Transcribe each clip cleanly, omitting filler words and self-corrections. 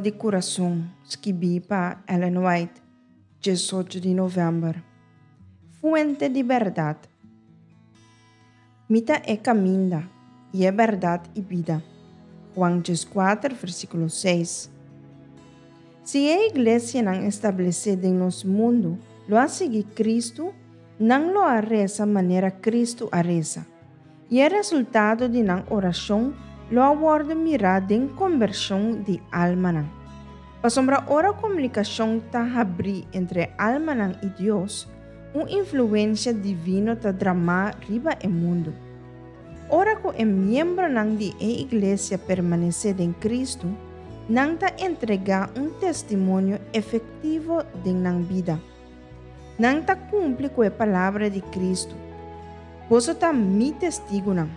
di Kurason, skibí pa Ellen White, 18 di novèmber. Fuente di bèrdat. Mi ta e kaminda, i e bèrdat i bida. Juan 14, versíkulo 6. Si e iglesianan establesé den nos mundu lo a sigui Kristu, nan lo a resa manera Kristu a resa, i e resultado di nan orashon lo a wòrdu mirá den kombershon di almanan. Pasobra ora komunikashon ta habrí entre e almanan i Dios, un influensia divino ta dramá riba e mundu. Ora ku e miembronan di e iglesia permanesé den Kristu, nan ta entregá un testimonio efektivo den nan bida. Nan ta kumpli ku e palabra di Kristu, Boso ta mi testigunan.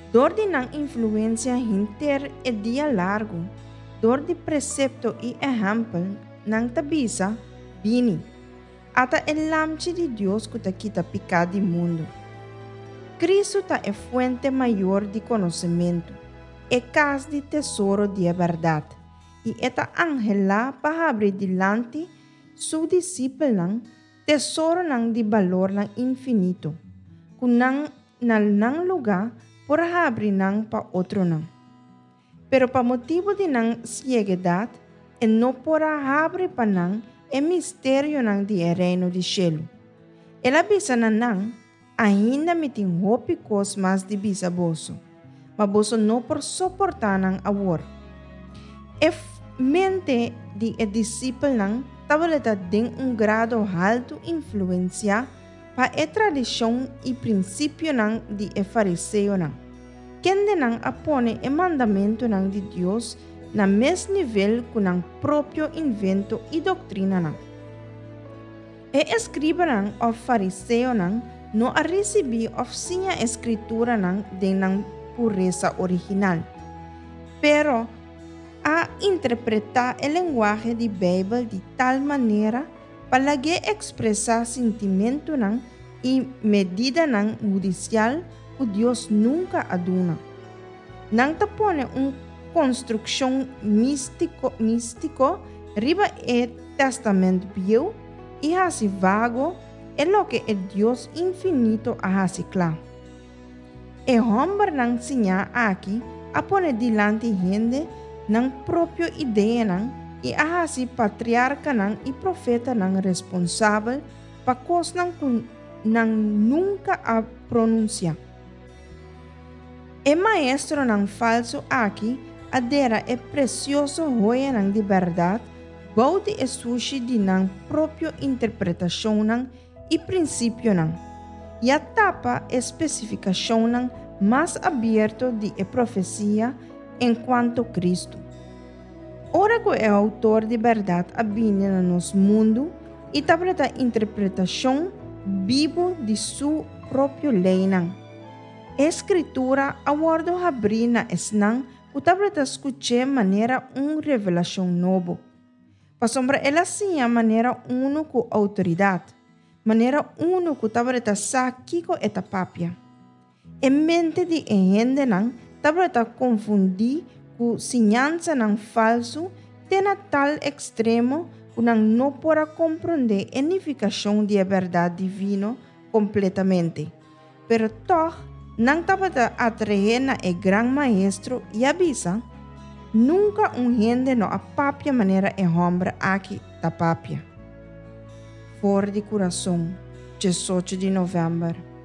Dor di nan influensia henter e dia largu, dor di presepto i ehèmpel, nan ta bisa, Bini! Ata e Lamchi di Dios ku ta kita piká di mundu. Kristu ta e fuente mayor di konosementu, e kas di tesoro di e bèrdat, i e ta anhelá pa habri dilanti su disipelnan tesoronan di balornan infinito, ku nan na nan lugá por habri nan pa otronan. Pero pa motibu di nan sieguedat e no por a habri pa nan e misterionan di e Reino di shelu. El a bisa na nan, Ainda mi tin hopi kos mas di bisa boso, ma boso no por soportá nan awor. E mente di e disipelnan tabata den un grado haltu influensiá pa e tradishon i prinsipionan di e fariseonan, kendenan a pone e mandamentunan di Dios na mes nivel ku nan propio invento i doktrinanan. E eskribanan òf fariseonan no a risibí òf siña e Skrituranan den nan puresa original, pero a interpretá e lenguahe di Beibel di tal manera pa lag'é ekspresá sintimentunan i medidanan hudisial ku Dios nunka a duna. Nan ta pone un konstrukshon místiko riba e Tèstamènt Bieu i hasi vago e loke e Dios infinito a hasi kla. E hòmbernan siñá aki a pone dilanti hende nan propio ideanan i a hasi patriarkanan i profetanan responsabel pa kosnan ku nan nunka a pronunsiá. E maestronan falsu aki a dera e presioso hoyanan di bèrdat bou di e sushi di nan propio interpretashonnan i prinsipionan, i a tapa e spesifikashonnan mas abierto di e profesia enkuanto Kristu. Ora ku e outor di bèrdat a bini na nos mundu i tabata interpretashon bibu di su propio leinan, e Skritura a wòrdu habrí na esnan ku tabata skuch'é manera un revelashon nobo. Pasobra el a siña manera unu ku outoridat, manera unu ku tabata sa kiko e ta papia. E mente di e hendenan tabata konfundí ku siñansanan falsu te na tal ekstremo ku nan no por a komprondé e nifikashon di e bèrdat divino kompletamente. Pero tòg nan tabata atraé na e Gran Maestro i a bisa, Nunka un hende no a papia manera e hòmber aki ta papia. For di kurason, 18 di novèmber.